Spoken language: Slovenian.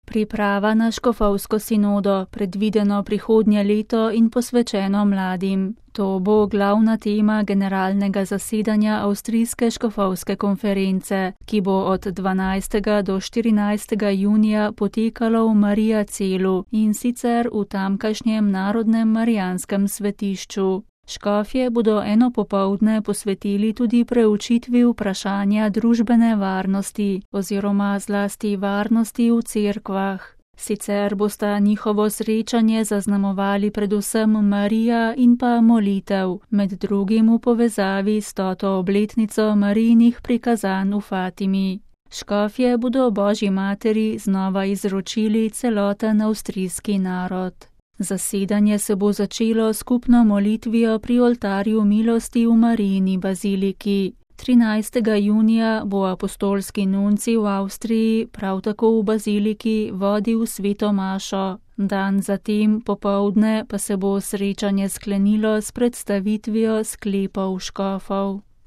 Priprava na škofovsko sinodo, predvideno prihodnje leto in posvečeno mladim. To bo glavna tema generalnega zasedanja Avstrijske škofovske konference, ki bo od 12. do 14. junija potekalo v Mariacelu in sicer v tamkajšnjem Narodnem marijanskem svetišču. Škofje bodo eno popoldne posvetili tudi preučitvi vprašanja družbene varnosti oziroma zlasti varnosti v cerkvah. Sicer bosta njihovo srečanje zaznamovali predvsem Marija in pa molitev, med drugim v povezavi s 100. obletnico Marijinih prikazanj v Fatimi. Škofje bodo Božji materi znova izročili celoten avstrijski narod. Zasedanje se bo začelo skupno molitvijo pri oltarju milosti v Marijini baziliki. 13. junija bo apostolski nuncij v Avstriji prav tako v baziliki vodil sveto mašo. Dan zatem popoldne pa se bo srečanje sklenilo s predstavitvijo sklepov škofov.